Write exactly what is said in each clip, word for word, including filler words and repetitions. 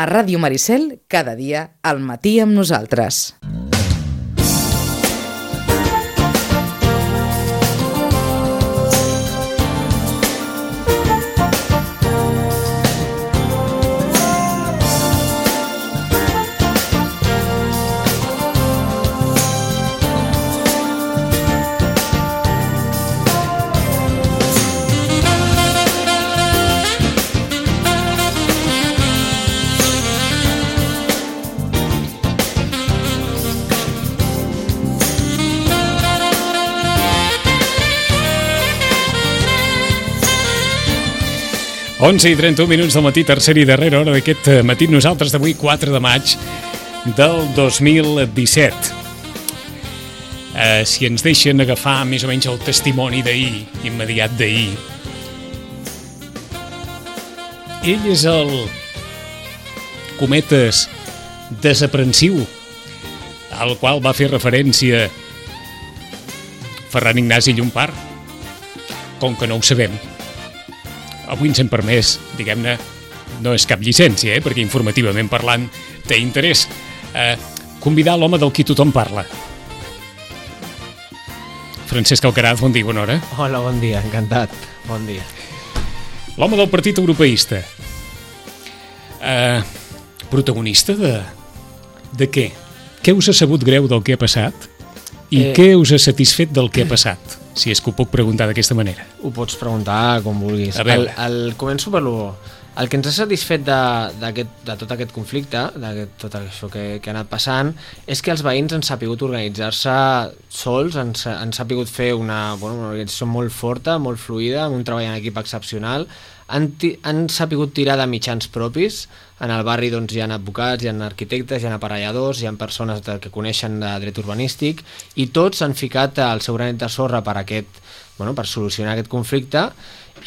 A Ràdio Maricel, cada dia al matí amb nosaltres. onze i trenta-u minuts del matí, tercera i darrera hora d'aquest matí, nosaltres d'avui, quatre de maig del dos mil disset. Eh, si ens deixen agafar més o menys el testimoni d'ahir, immediat d'ahir, ell és el cometes desaprensiu al qual va fer referència Ferran Ignasi Llompart. Com que no ho sabem, avui ens hem permès, diguem-ne, no és cap llicència, eh, perquè informativament parlant té interès, eh, convidar l'home del qui tothom parla. Francesc Alcaraz, bon dia, bona hora. Hola, bon dia, encantat, bon dia. L'home del Partit Europeista. Eh, protagonista de... de què? Què us ha sabut greu del que ha passat? I eh... què us ha satisfet del que ha passat? Si és que ho puc preguntar d'aquesta manera. Ho pots preguntar com vulguis. El, el, començo per lo... El que ens ha satisfet de, de, de tot aquest conflicte, de tot això que, que ha anat passant, és que els veïns han sapigut organitzar-se sols, han, han sapigut fer una, bueno, una organització molt forta, molt fluida, amb un treball en equip excepcional, han, han sapigut tirar de mitjans propis. En el barri doncs, hi ha advocats, hi ha arquitectes, hi ha aparelladors, hi ha persones que coneixen de dret urbanístic, i tots han ficat el seu granet de sorra per, aquest, bueno, per solucionar aquest conflicte,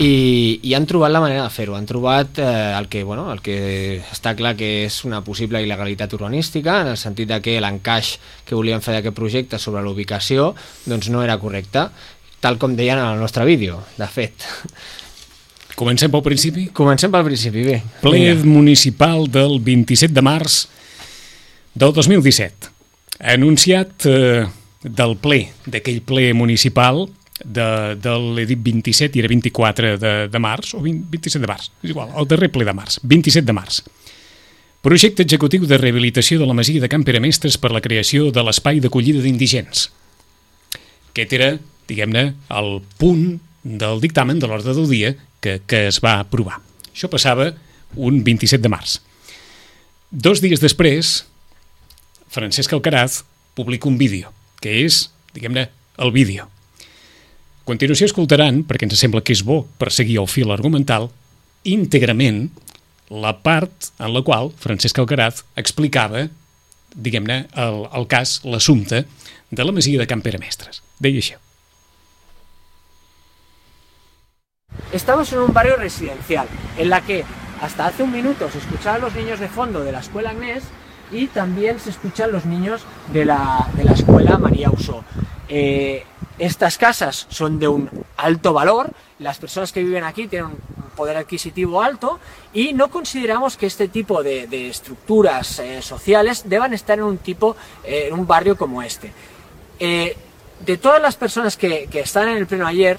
i, i han trobat la manera de fer-ho. Han trobat eh, el, que, bueno, el que està clar que és una possible il·legalitat urbanística, en el sentit de que l'encaix que volien fer d'aquest projecte sobre la ubicació doncs no era correcte, tal com deien en el nostre vídeo, de fet. Comencem pel principi? Comencem pel principi, bé. Ple municipal del vint-i-set de març del dos mil disset. Anunciat eh, del ple, d'aquell ple municipal de, de l'he dit vint-i-set i era vint-i-quatre de, de març, o vint, vint-i-set de març, és igual, el darrer ple de març, vint-i-set de març. Projecte executiu de rehabilitació de la masia de Can Peremestres per la creació de l'espai d'acollida d'indigents. Aquest era, diguem-ne, el punt del dictamen de l'ordre del dia que, que es va aprovar. Això passava un vint-i-set de març. Dos dies després, Francesc Alcaraz publica un vídeo, que és, diguem-ne, el vídeo. A continuació escoltaran, perquè ens sembla que és bo per seguir el fil argumental, íntegrament la part en la qual Francesc Alcaraz explicava, diguem-ne, el, el cas, l'assumpte de la masia de Can Peremestres. Deia això. Estamos en un barrio residencial, en la que hasta hace un minuto se escuchaban los niños de fondo de la escuela Agnés y también se escuchan los niños de la, de la escuela María Usó. Eh, estas casas son de un alto valor, las personas que viven aquí tienen un poder adquisitivo alto y no consideramos que este tipo de, de estructuras eh, sociales deban estar en un, tipo, eh, en un barrio como este. Eh, de todas las personas que, que están en el pleno ayer,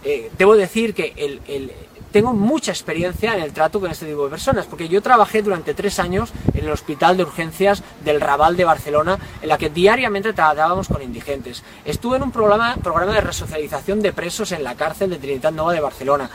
Eh, debo decir que el, el, tengo mucha experiencia en el trato con este tipo de personas, porque yo trabajé durante tres años en el Hospital de Urgencias del Raval de Barcelona, en la que diariamente tratábamos con indigentes. Estuve en un programa, programa de resocialización de presos en la cárcel de Trinitat Nova de Barcelona.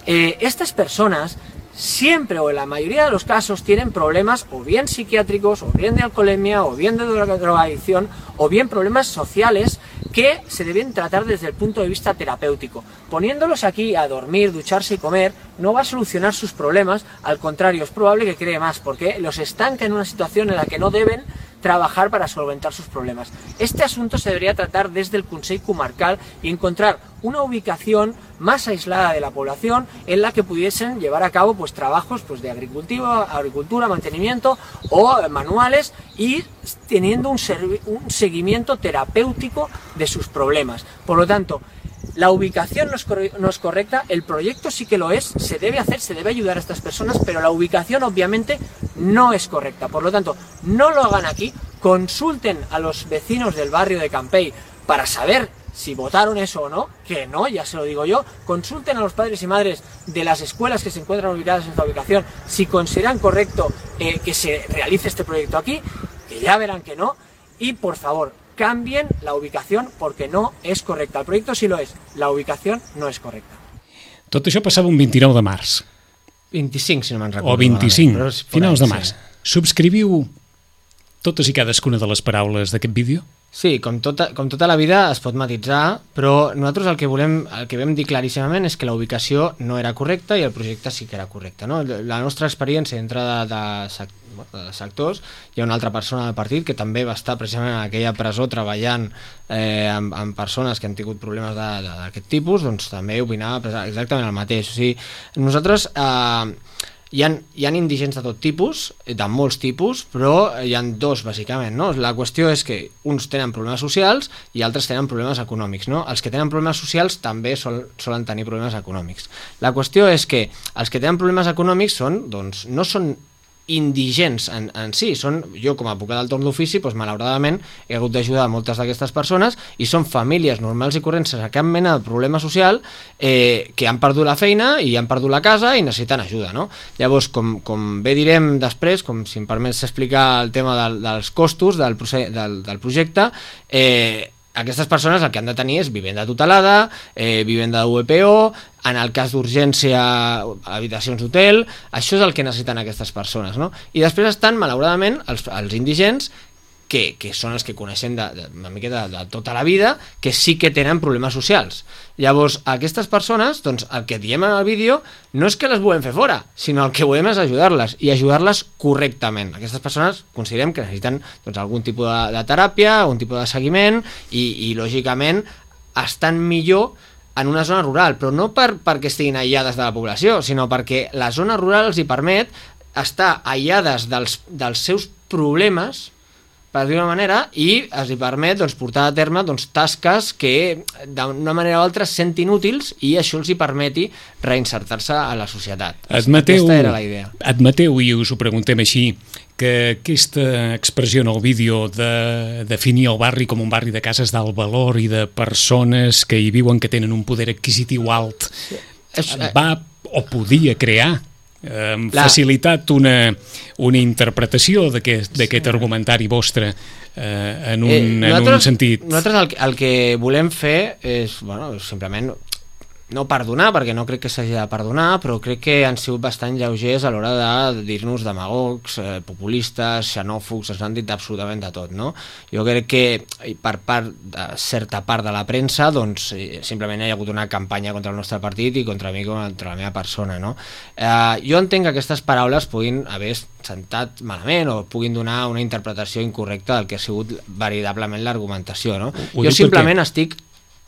Eh, estas personas siempre o en la mayoría de los casos tienen problemas o bien psiquiátricos, o bien de alcoholemia, o bien de drogadicción, o bien problemas sociales que se deben tratar desde el punto de vista terapéutico. Poniéndolos aquí a dormir, ducharse y comer no va a solucionar sus problemas, al contrario, es probable que cree más, porque los estanca en una situación en la que no deben trabajar para solventar sus problemas. Este asunto se debería tratar desde el Consell Comarcal y encontrar una ubicación más aislada de la población en la que pudiesen llevar a cabo pues trabajos pues de agricultura, agricultura, mantenimiento o manuales, y teniendo un, un seguimiento terapéutico de sus problemas. Por lo tanto, la ubicación no es, no es correcta, el proyecto sí que lo es, se debe hacer, se debe ayudar a estas personas, pero la ubicación obviamente no es correcta. Por lo tanto, no lo hagan aquí, consulten a los vecinos del barrio de Campell para saber si votaron eso o no, que no, ya se lo digo yo. Consulten a los padres y madres de las escuelas que se encuentran ubicadas en esta ubicación si consideran correcto eh, que se realice este proyecto aquí, que ya verán que no, y por favor, cambien la ubicación porque no és correcta. El projecte sí lo és, la ubicació no és correcta. Tot això passava un vint-i-nou de març. vint-i-cinc, si no me'n recordo. O vint-i-cinc, finals de març. Subscriviu totes i cadascuna de les paraules d'aquest vídeo? Sí, com tota, com tota la vida es pot matitzar, però nosaltres el que volem, el que vam dir claríssimament és que la ubicació no era correcta i el projecte sí que era correcte, no? La nostra experiència dintre de, de, de sectors, hi ha una altra persona del partit que també va estar precisament en aquella presó treballant eh, amb, amb persones que han tingut problemes d'aquest tipus, doncs també opinava exactament el mateix. O sigui, nosaltres... Eh, Hi ha, hi ha indigents de tot tipus, de molts tipus, però hi ha dos, bàsicament, no? La qüestió és que uns tenen problemes socials i altres tenen problemes econòmics, no? Els que tenen problemes socials també sol, solen tenir problemes econòmics. La qüestió és que els que tenen problemes econòmics són, doncs, no són indigents en, en si, són, jo com a advocat del torn d'ofici, doncs, malauradament he hagut d'ajudar moltes d'aquestes persones i són famílies normals i corrents sense cap mena de problema social eh, que han perdut la feina i han perdut la casa i necessiten ajuda, no? Llavors, com, com bé direm després, com si em permets explicar el tema del, dels costos del, del, del projecte, eh, aquestes persones el que han de tenir és vivenda tutelada, eh, vivenda de U E P O, en el cas d'urgència, habitacions d'hotel, això és el que necessiten aquestes persones, no? I després estan, malauradament, els, els indigents, que, que són els que coneixem de, de, una miqueta de, de tota la vida, que sí que tenen problemes socials. Llavors, aquestes persones, doncs, el que diem en el vídeo no és que les volem fer fora, sinó el que volem és ajudar-les, i ajudar-les correctament. Aquestes persones considerem que necessiten doncs, algun tipus de, de teràpia, algun tipus de seguiment, i, i lògicament estan millor en una zona rural, però no per, perquè estiguin aïllades de la població, sinó perquè la zona rural els hi permet estar aïllades dels, dels seus problemes, per dir-ho d'una manera, i es li permet doncs, portar a terme doncs, tasques que d'una manera o altra es sentin útils i això els hi permeti reinsertar-se a la societat. Admeteu, Aquesta era la idea. Admeteu, i us ho preguntem així, que aquesta expressió en el vídeo de definir el barri com un barri de cases d'alt valor i de persones que hi viuen que tenen un poder adquisitiu alt va o podia crear hem la... facilitat una, una interpretació d'aquest sí. argumentari vostre eh, en, un, eh, en un sentit. Nosaltres el, el que volem fer és, bueno, simplement no perdonar, perquè no crec que s'hagi de perdonar, però crec que han sigut bastant lleugers a l'hora de dir-nos demagogs, eh, populistes, xenòfobs, ens han dit absolutament de tot, no? Jo crec que per part de certa part de la premsa, doncs simplement hi ha hagut una campanya contra el nostre partit i contra mi, contra la meva persona, no? Eh, jo entenc que aquestes paraules puguin haver sentat malament o puguin donar una interpretació incorrecta del que ha sigut veritablement l'argumentació, no? Jo simplement perquè... estic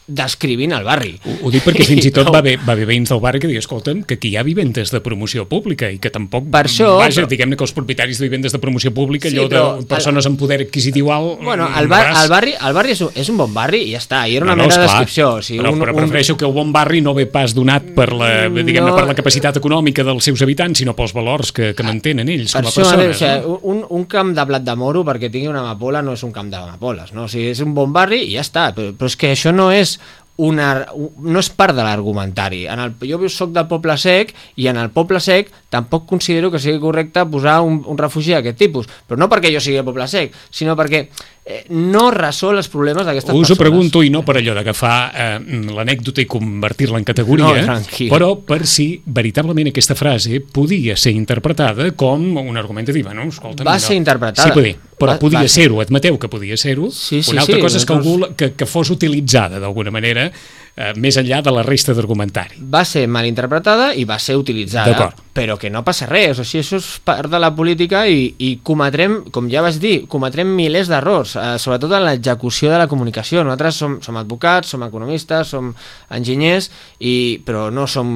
descrivint el barri. Ho, ho dic perquè fins i tot va haver, va haver veïns del barri que diuen, escolta'm, que aquí hi ha vivendes de promoció pública i que tampoc, per això, vaja, però... diguem-ne que els propietaris de vivendes de promoció pública, sí, allò però, de persones el... amb poder adquisitiu alt... Bueno, el, bar, el barri, el barri és, un, és un bon barri i ja està, i era una no, no, mera descripció. O sigui, però, un, però prefereixo un... que el bon barri no ve pas donat per la, diguem-ne, no... per la capacitat econòmica dels seus habitants, sinó pels valors que, que mantenen ells per com a això, persones. O sigui, no? un, un camp de blat de moro perquè tingui una amapola no és un camp d'amapoles, no? O sigui, és un bon barri i ja està, però, però és que això no és... Una, no és part de l'argumentari. En el, jo soc del Poble Sec i en el Poble Sec tampoc considero que sigui correcte posar un, un refugi d'aquest tipus, però no perquè jo sigui del Poble Sec, sinó perquè eh, no resol els problemes d'aquestes persones. Us ho pregunto, i no per allò d'agafar eh, l'anècdota i convertir-la en categoria, no, però per si veritablement aquesta frase podia ser interpretada com un argument de dir, bueno, escolta... Va no, ser interpretada. Sí, podia, però va, podia ser-ho, admeteu que podia ser-ho. Sí, sí, una altra sí, cosa és que, algú, que, que fos utilitzada d'alguna manera eh, més enllà de la resta d'argumentari. Va ser mal interpretada i va ser utilitzada, però que no passa res, o sigui, això és part de la política i, i cometrem, com ja vas dir, cometrem milers d'errors, eh, sobretot en l'execució de la comunicació. Nosaltres som, som advocats, som economistes, som enginyers, i, però no som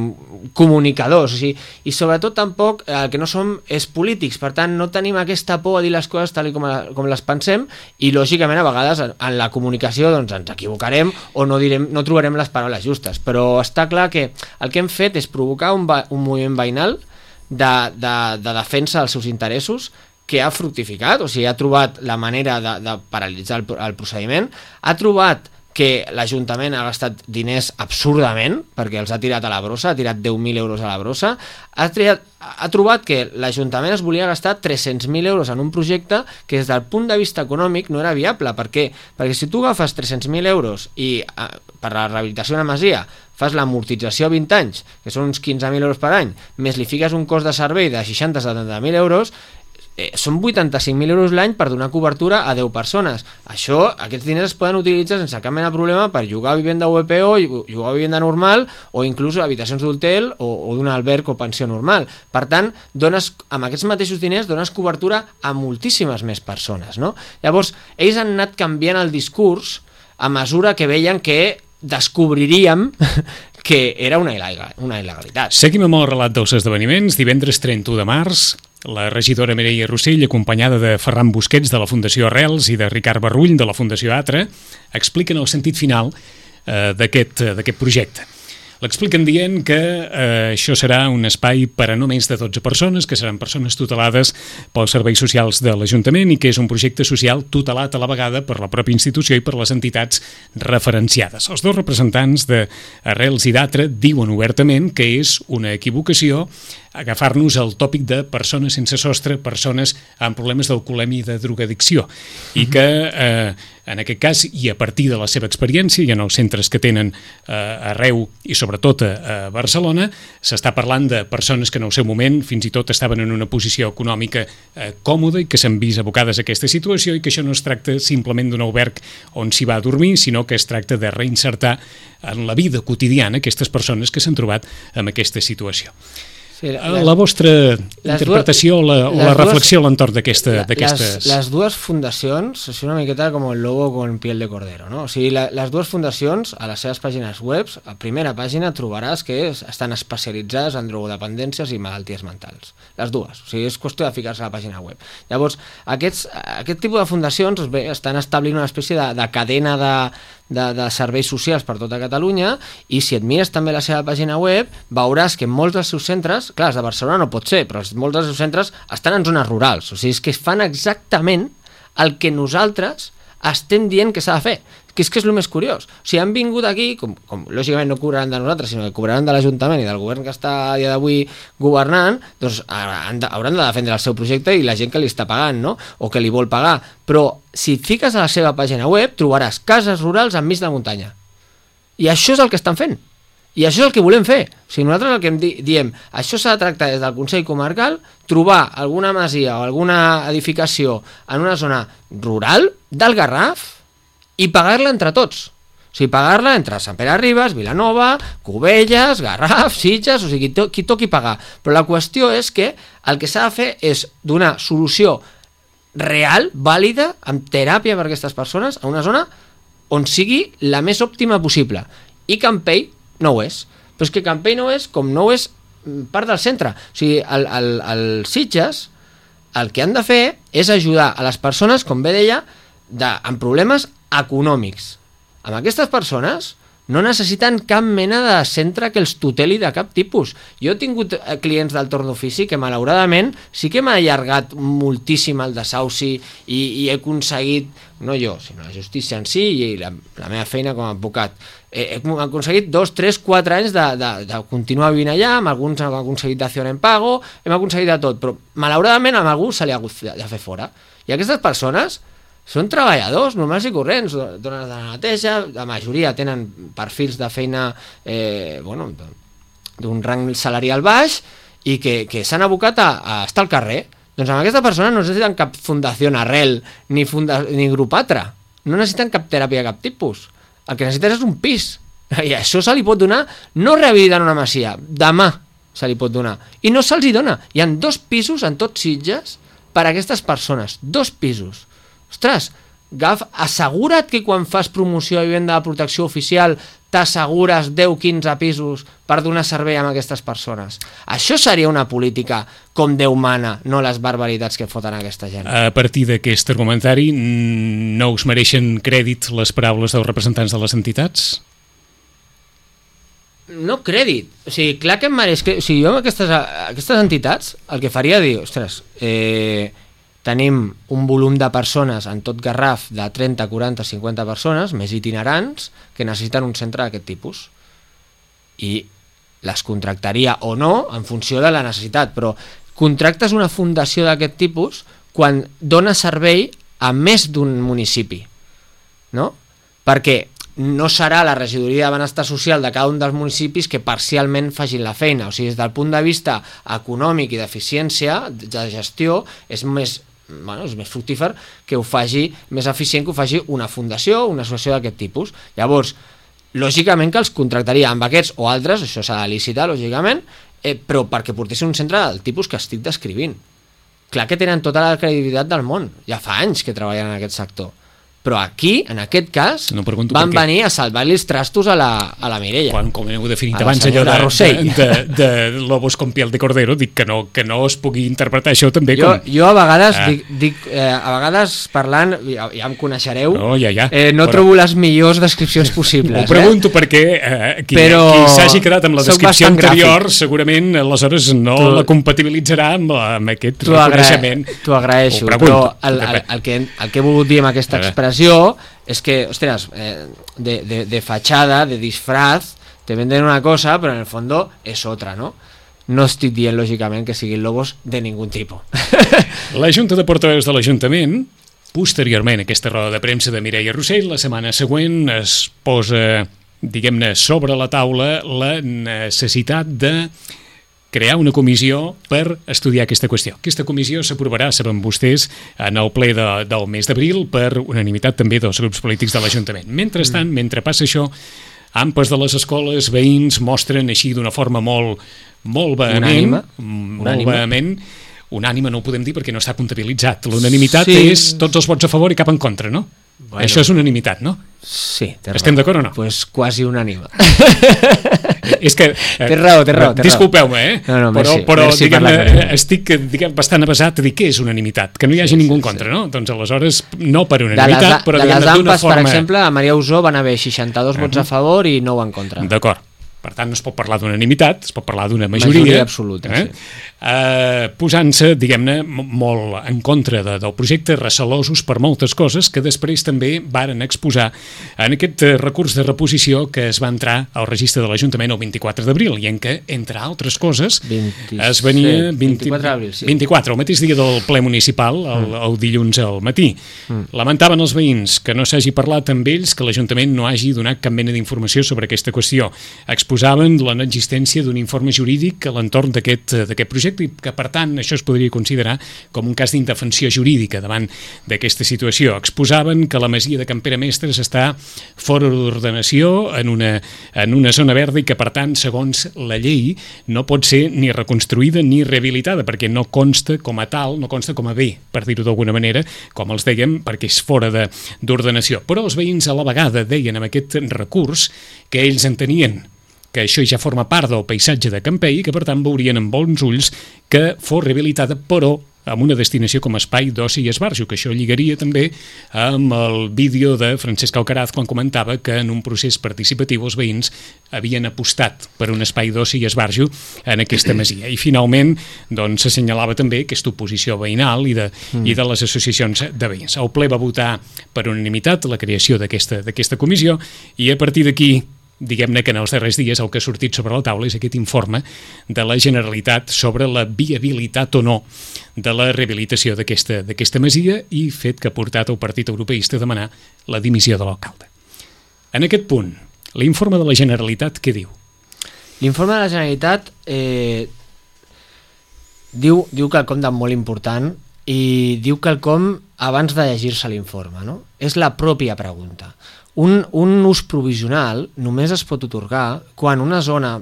comunicadors, o sigui, i sobretot tampoc el que no som és polítics, per tant no tenim aquesta por a dir les coses tal com, a, com les pensem, i lògicament a vegades en, en la comunicació doncs, ens equivocarem o no, direm, no trobarem les paraules justes, però està clar que el que hem fet és provocar un, un moviment veïnal De, de, de defensa dels seus interessos que ha fructificat, o sigui, ha trobat la manera de, de paralitzar el, el procediment, ha trobat que l'Ajuntament ha gastat diners absurdament, perquè els ha tirat a la brossa, ha tirat deu mil euros a la brossa, ha, triat, ha trobat que l'Ajuntament es volia gastar tres-cents mil euros en un projecte que des del punt de vista econòmic no era viable. Per què? Perquè si tu agafes tres-cents mil euros i eh, per la rehabilitació d'una masia fas l'amortització a vint anys, que són uns quinze mil euros per any, més li fiques un cost de servei de seixanta a setanta mil euros, eh, són vuitanta-cinc mil euros l'any per donar cobertura a deu persones. Això, aquests diners es poden utilitzar sense cap mena de problema per llogar vivenda U P O, llogar vivenda normal o inclús habitacions d'hotel o, o d'un alberg o pensió normal. Per tant, dones, amb aquests mateixos diners dones cobertura a moltíssimes més persones, no? Llavors, ells han anat canviant el discurs a mesura que veien que descobriríem que era una, il·legal, una il·legalitat. Seguim amb el relat dels esdeveniments. Divendres trenta-u de març, la regidora Mireia Rossell, acompanyada de Ferran Busquets de la Fundació Arrels i de Ricard Barrull de la Fundació Atra, expliquen el sentit final eh, d'aquest d'aquest projecte. L'expliquen dient que eh, això serà un espai per a no menys de dotze persones, que seran persones tutelades pels serveis socials de l'Ajuntament i que és un projecte social tutelat a la vegada per la pròpia institució i per les entitats referenciades. Els dos representants d'Arrels i d'Atra diuen obertament que és una equivocació agafar-nos el tòpic de persones sense sostre, persones amb problemes d'alcoholèmia i de drogadicció, i que eh, en aquest cas, i a partir de la seva experiència i en els centres que tenen eh, arreu i sobretot a, a Barcelona, s'està parlant de persones que en el seu moment fins i tot estaven en una posició econòmica eh, còmoda i que s'han vist abocades a aquesta situació i que això no es tracta simplement d'un alberg on s'hi va a dormir, sinó que es tracta de reinsertar en la vida quotidiana aquestes persones que s'han trobat en aquesta situació. Sí, les, la vostra interpretació dues, la, o la reflexió a l'entorn d'aquestes... Les, les dues fundacions, és una miqueta com el lobo con piel de cordero, no? O sigui, la, les dues fundacions, a les seves pàgines web, a primera pàgina trobaràs que estan especialitzades en drogodependències i malalties mentals. Les dues. O sigui, és qüestió de ficar-se a la pàgina web. Llavors, aquests, aquest tipus de fundacions bé, estan establint una espècie de, de cadena de... De, de serveis socials per tota Catalunya, i si et mires també la seva pàgina web veuràs que molts dels seus centres, clar, els de Barcelona no pot ser, però molts dels seus centres estan en zones rurals, o sigui, és que fan exactament el que nosaltres estem dient que s'ha de fer, que és que és el més curiós. O sigui, han vingut aquí, com, com lògicament no cobraran de nosaltres, sinó que cobraran de l'Ajuntament i del govern que està a dia d'avui governant, doncs hauran de, hauran de defendre el seu projecte i la gent que li està pagant, no? O que li vol pagar. Però si et fiques a la seva pàgina web trobaràs cases rurals enmig de la muntanya. I això és el que estan fent. I això és el que volem fer. O sigui, nosaltres el que di diem, això s'ha de tractar des del Consell Comarcal, trobar alguna masia o alguna edificació en una zona rural del Garraf i pagar-la entre tots. O sigui, pagar-la entre Sant Pere Ribes, Vilanova, Cubelles, Garraf, Sitges, o sigui, qui, to qui toqui pagar. Però la qüestió és que el que s'ha de fer és donar solució real, vàlida, amb teràpia per a aquestes persones, a una zona on sigui la més òptima possible. I Campell no ho és. Però és que Campell no és com no ho és part del centre. O sigui, el, el, el Sitges el que han de fer és ajudar a les persones, com bé deia, de, amb problemes econòmics. Amb aquestes persones no necessiten cap mena de centre que els tuteli de cap tipus. Jo he tingut clients del torn d'ofici que malauradament sí que m'ha allargat moltíssim el desahuci i, i he aconseguit, no jo, sinó la justícia en si i la, la meva feina com a advocat, he, he aconseguit dos, tres, quatre anys de, de, de continuar vivint allà, amb alguns hem aconseguit d'acció en pago, hem aconseguit de tot, però malauradament amb algú se li ha hagut de fer fora. I aquestes persones són treballadors normals i corrents, dones de la neteja, la majoria tenen perfils de feina eh, bueno, d'un rang salarial baix i que, que s'han abocat a, a estar al carrer. Doncs amb aquesta persona no necessiten cap fundació Arrel ni, funda, ni grup Atra, no necessiten cap teràpia de cap tipus. El que necessiten és un pis, i això se li pot donar no rehabilitant una masia, demà se li pot donar. I no se'ls hi dona. Hi ha dos pisos en tots Sitges per a aquestes persones. Dos pisos. Ostres, Gaf, assegura't que quan fas promoció de vivenda de protecció oficial t'assegures deu quinze pisos per donar servei a aquestes persones. Això seria una política com Déu mana, no les barbaritats que foten aquesta gent. A partir d'aquest argumentari, no us mereixen crèdit les paraules dels representants de les entitats? No crèdit. O sigui, clar que em mereix... O sigui, jo amb aquestes, aquestes entitats el que faria dir, ostres, eh, tenim un volum de persones en tot Garraf de trenta, quaranta, cinquanta persones, més itinerants, que necessiten un centre d'aquest tipus. I les contractaria o no en funció de la necessitat, però contractes una fundació d'aquest tipus quan dona servei a més d'un municipi, no? Perquè no serà la regidoria de benestar social de cada un dels municipis que parcialment facin la feina. O sigui, des del punt de vista econòmic i d'eficiència, de gestió, és més... Bueno, és més fructífer que ho faci, més eficient que ho faci una fundació o una associació d'aquest tipus. Llavors, lògicament que els contractaria amb aquests o altres, això s'ha de licitar, lògicament, eh, però perquè portessin un centre del tipus que estic descrivint. Clar que tenen tota la credibilitat del món, ja fa anys que treballen en aquest sector. Però aquí, en aquest cas, no van venir a salvar-li els trastos a la, a la Mireia. Quan, com heu definit abans allò de, de, de, de lobos con piel de cordero, dic que no, que no es pugui interpretar això també jo, com... Jo a vegades, ah. dic, dic, eh, a vegades parlant, ja, ja em coneixereu, no, ja, ja. Eh, no però... trobo les millors descripcions possibles. Ho pregunto eh? perquè eh, qui, però... qui s'hagi quedat amb la descripció anterior gràfic. Segurament aleshores no tu... la compatibilitzarà amb, amb aquest tu reconeixement. T'ho agraeixo, però el, el, el, que, el que he volgut dir amb aquesta expressió és que, ostres, eh, de, de, de fachada, de disfraz, te venden una cosa, però en el fondo és otra, ¿no? No estic dient, lògicament, que siguin lobos de ningun tipus. La Junta de Portaveus de l'Ajuntament, posteriorment a aquesta roda de premsa de Mireia Rossell, la setmana següent es posa, diguem-ne, sobre la taula la necessitat de crear una comissió per estudiar aquesta qüestió. Aquesta comissió s'aprovarà, saben vostès, en el ple de, del mes d'abril per unanimitat també dels grups polítics de l'Ajuntament. Mentrestant, mm. mentre passa això, ampes de les escoles, veïns mostren així d'una forma molt, molt vehement, molt unànime. vehement, unànime no ho podem dir perquè no està comptabilitzat. L'unanimitat sí. és tots els vots a favor i cap en contra, no? Bueno. Això és unanimitat, no? Sí, estem d'acord o no? Pues quasi unànime. És que... Eh, té raó, té raó. Disculpeu-me, eh? No, no, però merci, però merci diguem, estic diguem, bastant avasat a dir què és unanimitat, que no hi hagi sí, ningú en contra, sí, sí. no? Doncs aleshores, no per unanimitat, de les, però de diguem-ne d'una d'una forma... Per exemple, a Maria Usó van haver seixanta-dos uh-huh. vots a favor i nou en contra. D'acord. Per tant, no es pot parlar d'unanimitat, es pot parlar d'una majoria. Majoria absoluta, eh? sí. Eh, posant-se, diguem-ne, molt en contra de, del projecte, recelosos per moltes coses que després també varen exposar en aquest recurs de reposició que es va entrar al registre de l'Ajuntament el vint-i-quatre d'abril i en què, entre altres coses, vint, es venia... Sí, vint-i-quatre d'abril, sí. vint-i-quatre, el mateix dia del ple municipal, el, mm. el dilluns al matí. Mm. Lamentaven els veïns que no s'hagi parlat amb ells, que l'Ajuntament no hagi donat cap mena d'informació sobre aquesta qüestió. Exposaven la no existència d'un informe jurídic a l'entorn d'aquest d'aquest projecte i que, per tant, això es podria considerar com un cas d'indefensió jurídica davant d'aquesta situació. Exposaven que la masia de Can Pere Mestres està fora d'ordenació en una, en una zona verda i que, per tant, segons la llei, no pot ser ni reconstruïda ni rehabilitada, perquè no consta com a tal, no consta com a bé, per dir-ho d'alguna manera, com els dèiem, perquè és fora d'ordenació. Però els veïns a la vegada deien amb aquest recurs que ells entenien que això ja forma part del paisatge de Campell i que, per tant, veurien amb bons ulls que fos rehabilitada, però amb una destinació com a espai d'oci i esbarjo, que això lligaria també amb el vídeo de Francesc Alcaraz quan comentava que en un procés participatiu els veïns havien apostat per un espai d'oci i esbarjo en aquesta masia. I finalment doncs, s'assenyalava també aquesta oposició veïnal i de, mm. i de les associacions de veïns. El ple va votar per unanimitat la creació d'aquesta d'aquesta comissió i a partir d'aquí diguem-ne que en els darrers dies el que ha sortit sobre la taula és aquest informe de la Generalitat sobre la viabilitat o no de la rehabilitació d'aquesta d'aquesta masia i fet que ha portat el Partit Europeista a demanar la dimissió de l'alcalde. En aquest punt, l'informe de la Generalitat què diu? L'informe de la Generalitat eh, diu, diu quelcom de molt important i diu quelcom abans de llegir-se l'informe, no? És la pròpia pregunta. Un, un ús provisional només es pot otorgar quan una zona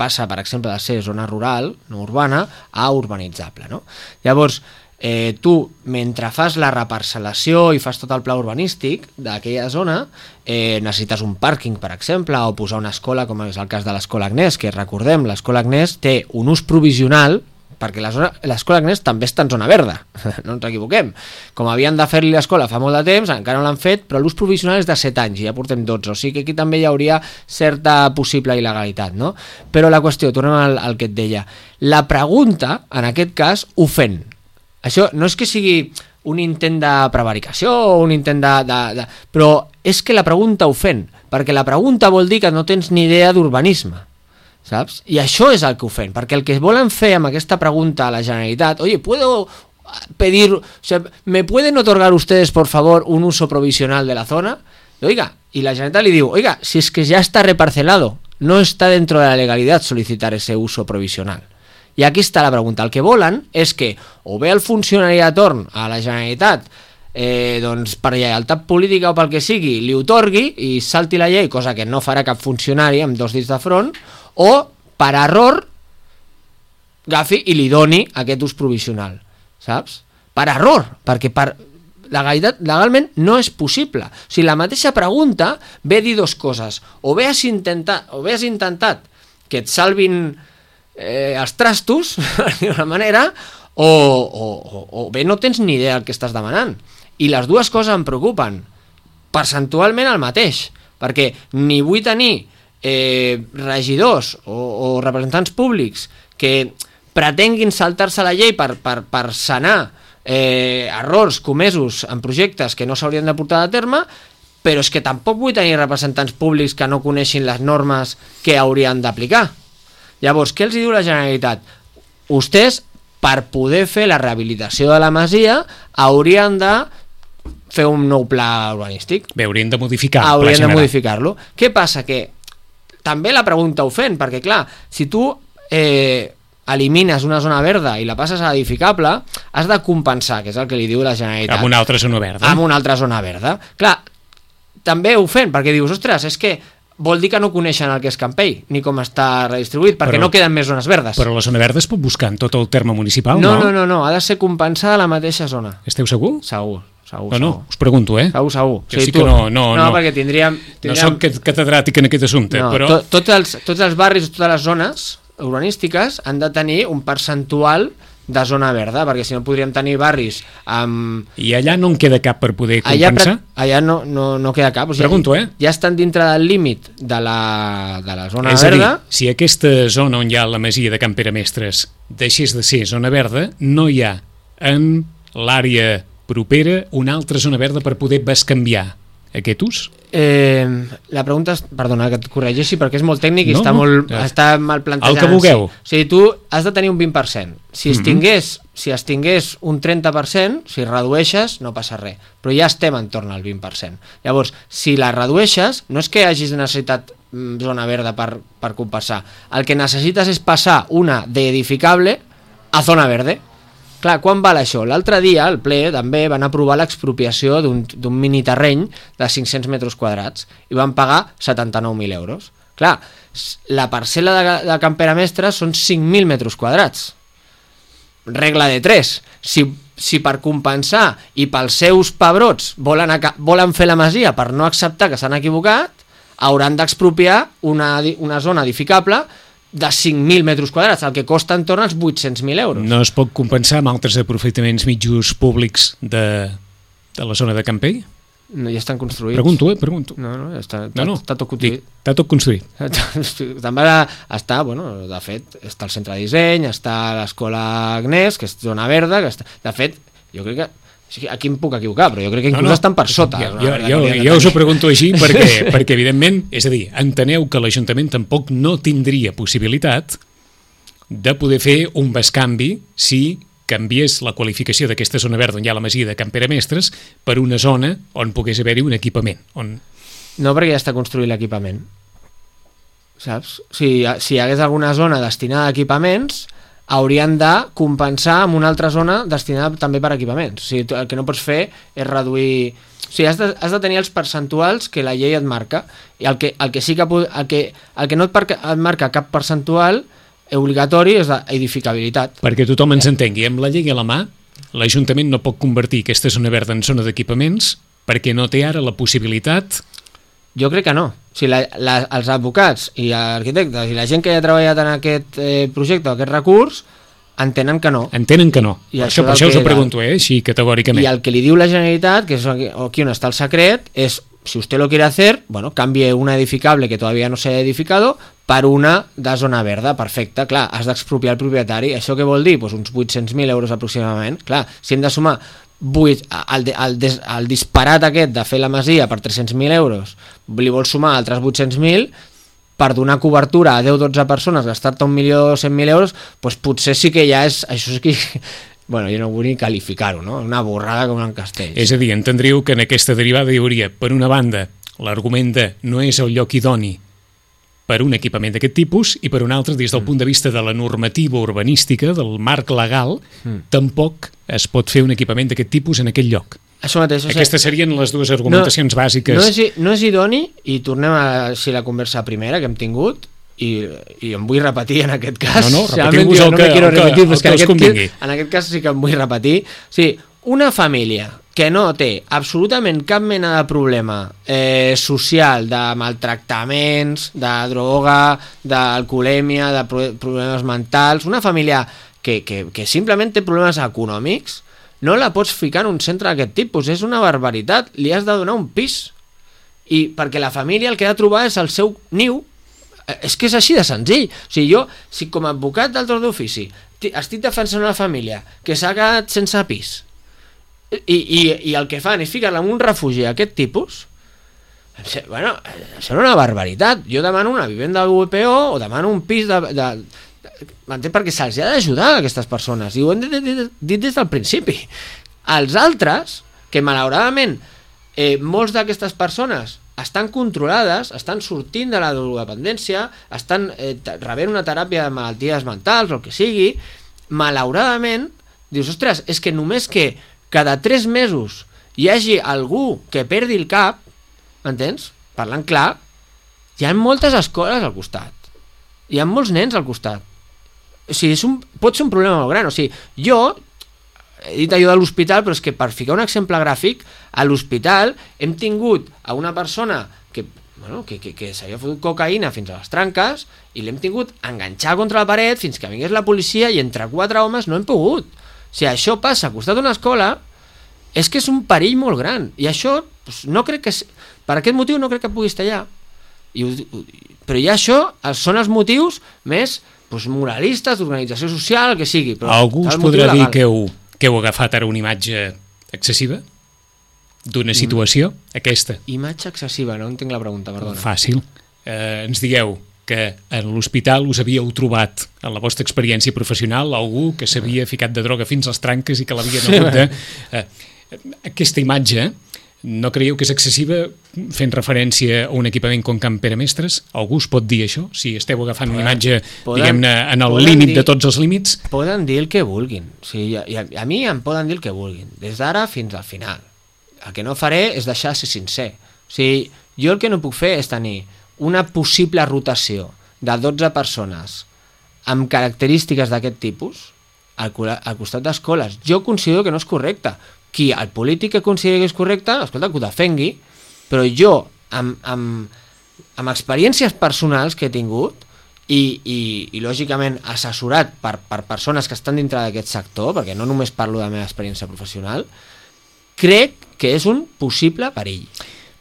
passa, per exemple, de ser zona rural, no urbana, a urbanitzable, no? Llavors, eh, tu, mentre fas la reparcel·lació i fas tot el pla urbanístic d'aquella zona, eh, necessites un pàrquing, per exemple, o posar una escola, com és el cas de l'Escola Agnès, que recordem, l'Escola Agnès té un ús provisional, perquè l'Escola Agnès també està en zona verda, no ens equivoquem. Com havien de fer-li l'escola fa molt de temps, encara no l'han fet, però l'ús provisional és de set anys, i ja portem dotze, o sigui que aquí també hi hauria certa possible il·legalitat, no? Però la qüestió, tornem al, al que et deia, la pregunta, en aquest cas, ofèn. Això no és que sigui un intent de prevaricació o un intent de, de, de... però és que la pregunta ofèn, perquè la pregunta vol dir que no tens ni idea d'urbanisme, saps? I això és el que ofèn, perquè el que volen fer amb aquesta pregunta a la Generalitat, oye, ¿puedo pedir, o sea, me pueden otorgar ustedes, por favor, un uso provisional de la zona? Y, oiga, y la Generalitat li diu, oiga, si es que ya está reparcelado, no está dentro de la legalidad solicitar ese uso provisional. I aquí està la pregunta. El que volen és que o bé el funcionari de torn a la Generalitat eh, doncs per lleialtat política o pel que sigui li otorgui i salti la llei, cosa que no farà cap funcionari amb dos dits de front, o per error agafi i li doni aquest ús provisional, saps? Per error, perquè per legalitat, legalment no és possible. O sigui, la mateixa pregunta ve a dir dues coses. O bé has intentat, o bé has intentat que et salvin Eh, els trastos, d'una manera, o, o, o, o bé no tens ni idea del que estàs demanant. I les dues coses em preocupen. Percentualment el mateix, perquè ni vull tenir eh, regidors o, o representants públics que pretenguin saltar-se la llei per, per, per sanar eh, errors comesos en projectes que no s'haurien de portar a terme, però és que tampoc vull tenir representants públics que no coneixin les normes que haurien d'aplicar. Llavors, què els diu la Generalitat? Vostès, per poder fer la rehabilitació de la masia, haurien de fer un nou pla urbanístic. Bé, haurien de modificar el haurien pla general. de modificar-lo. Què passa? Que també la pregunta ho fent, perquè clar, si tu eh, elimines una zona verda i la passes a edificable, has de compensar, que és el que li diu la Generalitat. Amb una altra zona verda. Amb una altra zona verda. Clar, també ho fent, perquè dius, ostres, és que vol dir que no coneixen el que és Campell, ni com està redistribuït, perquè però, no queden més zones verdes. Però la zona verda es pot buscar en tot el terme municipal, no? No, no, no, no, ha de ser compensada a la mateixa zona. Esteu segur? Segur, segur. No, no, segur. us pregunto, eh? Segur, segur. Que sí, sí que no, no, no, no, perquè tindríem... tindríem... No soc catedràtic en aquest assumpte, no, però... To, tots, els, tots els barris, totes les zones urbanístiques han de tenir un percentual de zona verda, perquè si no podríem tenir barris amb... I allà no en queda cap per poder allà, compensar? Allà no, no, no queda cap. O sigui, pregunto, eh? Ja estan dintre del límit de la, de la zona és verda. És a dir, si aquesta zona on hi ha la masia de Can Pere Mestres deixés de ser zona verda, no hi ha en l'àrea propera una altra zona verda per poder bescanviar aquest ús? Eh, la pregunta és, perdona que et corregeixi perquè és molt tècnic i no, està, no, molt, ja. està mal plantejat. El que vulgueu. Sí. O sigui, tu has de tenir un vint per cent. Si es tingués, mm-hmm. si es tingués un trenta per cent, si redueixes, no passa res. Però ja estem entorn al vint per cent. Llavors, si la redueixes, no és que hagis necessitat zona verda per, per compensar. El que necessites és passar una d'edificable a zona verde. Clar, quan val això? L'altre dia, al ple, també van aprovar l'expropiació d'un miniterreny de cinc-cents metres quadrats i van pagar setanta-nou mil euros. Clar, la parcel·la de, de Can Pere Mestres són cinc mil metres quadrats. Regla de tres. Si, si per compensar i pels seus pebrots volen, volen fer la masia per no acceptar que s'han equivocat, hauran d'expropiar una, una zona edificable de cinc mil metres quadrats, el que costa entorn als vuit-cents mil euros. No es pot compensar amb altres aprofitaments mitjos públics de, de la zona de Campell? No, ja estan construïts. Pregunto, eh? Pregunto. No, no, està, no, no. està tot construït. Està tot construït. També està, bueno, de fet, està el centre de disseny, està l'escola Agnès, que és zona verda, que està... De fet, jo crec que aquí em puc equivocar, però jo crec que inclús no, no. estan per sota. Jo, jo, jo, jo us ho pregunto així perquè, perquè evidentment, és a dir, enteneu que l'Ajuntament tampoc no tindria possibilitat de poder fer un bescanvi si canviés la qualificació d'aquesta zona verda on hi ha la masia de Can Pere Mestres per una zona on pogués haver-hi un equipament. On... No, perquè ja està construït l'equipament. Saps? Si, si hi hagués alguna zona destinada a equipaments, haurien de compensar amb una altra zona destinada també per equipaments. O sigui, el que no pots fer és reduir... O sigui, has de, has de tenir els percentuals que la llei et marca, i el que, el que sí que, el que, el que no et, marca, et marca cap percentual obligatori és d'edificabilitat. Perquè tothom ens entengui, amb la llei a la mà, l'Ajuntament no pot convertir aquesta zona verda en zona d'equipaments perquè no té ara la possibilitat... Jo crec que no. O sigui, la, la, els advocats i arquitectes i la gent que ja ha treballat en aquest eh, projecte, aquest recurs, entenen que no. Entenen que no. I això, per això us ho pregunto, eh, així categòricament. I el que li diu la Generalitat, que és aquí on està el secret, és, si usted lo quiere hacer, bueno, cambie una edificable que todavía no se ha edificado per una de zona verda, perfecte. Clar, has d'expropiar el propietari. Això què vol dir? Pues uns vuit-cents mil euros aproximadament. Clar, si hem de sumar vuit, el, el, el disparat aquest de fer la masia per tres-cents mil euros, li vols sumar altres vuit-cents mil per donar cobertura a deu o dotze persones, gastar-te un milió cent mil euros, doncs potser sí que ja és... Això és que... Bueno, jo no vull ni qualificar-ho, no? Una borrada com en Castells. És a dir, entendríeu que en aquesta derivada hi hauria, per una banda, l'argument de no és el lloc idoni per un equipament d'aquest tipus, i per un altre, des del mm. punt de vista de la normativa urbanística, del marc legal, mm. tampoc es pot fer un equipament d'aquest tipus en aquell lloc. Això mateix. O sigui, aquestes serien les dues argumentacions no, bàsiques. No és, no és idoni, i tornem a si la conversa primera que hem tingut, i, i em vull repetir en aquest cas. No, no, repetiu-vos el, no que, el, repetir, el, que, el que us convingui. En aquest cas sí que em vull repetir. O sigui, una família que no té absolutament cap mena de problema eh, social, de maltractaments, de droga, d'alcoholèmia, de problemes mentals, una família que, que, que simplement té problemes econòmics, no la pots ficar en un centre d'aquest tipus, és una barbaritat, li has de donar un pis, i perquè la família el que ha de trobar és el seu niu, és que és així de senzill. O sigui, jo, si com a advocat del torn d'ofici estic defensant una família que s'ha quedat sense pis, I, i, i el que fan és ficar-la en un refugi d'aquest tipus, bueno, serà una barbaritat. Jo demano una vivenda de U P O o demano un pis de... de, de m'entén? Perquè se'ls ha d'ajudar a aquestes persones, i ho hem dit, dit, dit des del principi. Els altres, que malauradament eh, molts d'aquestes persones estan controlades, estan sortint de la drogodependència, estan eh, rebent una teràpia de malalties mentals o el que sigui, malauradament dius, ostres, és que només que cada tres mesos hi hagi algú que perdi el cap, m'entens? Parlant clar, hi ha moltes escoles al costat, hi ha molts nens al costat. O sigui, és un, pot ser un problema molt gran. O sigui, jo he dit allò de l'hospital, però és que per ficar un exemple gràfic, a l'hospital hem tingut a una persona que, bueno, que, que, que s'havia fotut cocaïna fins a les tranques i l'hem tingut enganxar contra la paret fins que vingués la policia, i entre quatre homes no hem pogut. Si això passa al costat d'una escola, és que és un perill molt gran, i això doncs, no crec que, per aquest motiu no crec que pugui estar allà. I, però ja això són els motius més doncs, moralistes, d'organització social, el que sigui. Però algú us podrà dir que heu, que heu agafat ara una imatge excessiva d'una situació, mm. aquesta? Imatge excessiva, no entenc la pregunta, perdona. Fàcil. Eh, ens digueu que en l'hospital us havíeu trobat, en la vostra experiència professional, algú que s'havia ficat de droga fins als tranques i que l'havien hagut de... Eh, aquesta imatge, no creieu que és excessiva fent referència a un equipament com Can Pere Mestres? Algú us pot dir això? Si esteu agafant una imatge, diguem-ne, en el límit de tots els límits? Poden dir el que vulguin. O sigui, a, a mi em poden dir el que vulguin, des d'ara fins al final. El que no faré és deixar de ser sincer. O sigui, jo el que no puc fer és tenir una possible rotació de dotze persones amb característiques d'aquest tipus al, al costat d'escoles. Jo considero que no és correcte. Qui, el polític que consideri que és correcte, escolta, que ho defengui, però jo, amb, amb, amb experiències personals que he tingut i, i, i lògicament assessorat per, per persones que estan dintre d'aquest sector, perquè no només parlo de la meva experiència professional, crec que és un possible perill.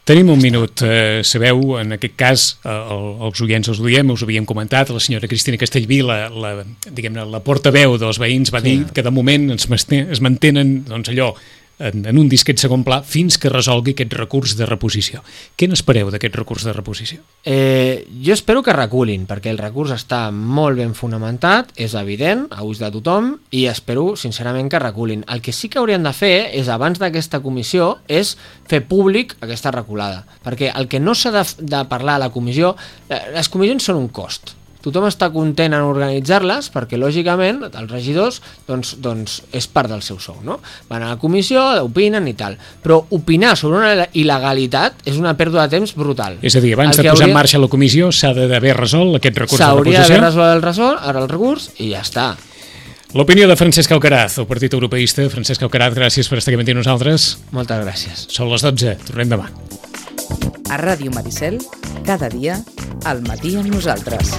Tenim un minut. Eh, sabeu, en aquest cas, eh, el, els oients els ho diem, us ho havíem comentat, la senyora Cristina Castellví, la, la, diguem-ne, la portaveu dels veïns, va sí. dir que de moment ens es mantenen doncs, allò en, en un disquet segon pla fins que resolgui aquest recurs de reposició. Què n'espereu d'aquest recurs de reposició? Eh, jo espero que reculin, perquè el recurs està molt ben fonamentat, és evident, a ulls de tothom, i espero, sincerament, que reculin. El que sí que haurien de fer és, abans d'aquesta comissió, és fer públic aquesta reculada, perquè el que no s'ha de, de parlar a la comissió, les comissions són un cost, tothom està content en organitzar-les perquè, lògicament, els regidors doncs, doncs és part del seu sou, no? Van a la comissió, opinen i tal. Però opinar sobre una il·legalitat és una pèrdua de temps brutal. És a dir, abans de posar hauria... en marxa la comissió s'ha d'haver resolt aquest recurs de reposició? S'hauria d'haver resolt el, resol, el recurs i ja està. L'opinió de Francesc Auqueraz, el Partit Europeista. Francesc Auqueraz, gràcies per estar aquí amb nosaltres. Moltes gràcies. Són les dotze, tornem demà. A Ràdio Maricel, cada dia, al matí amb nosaltres.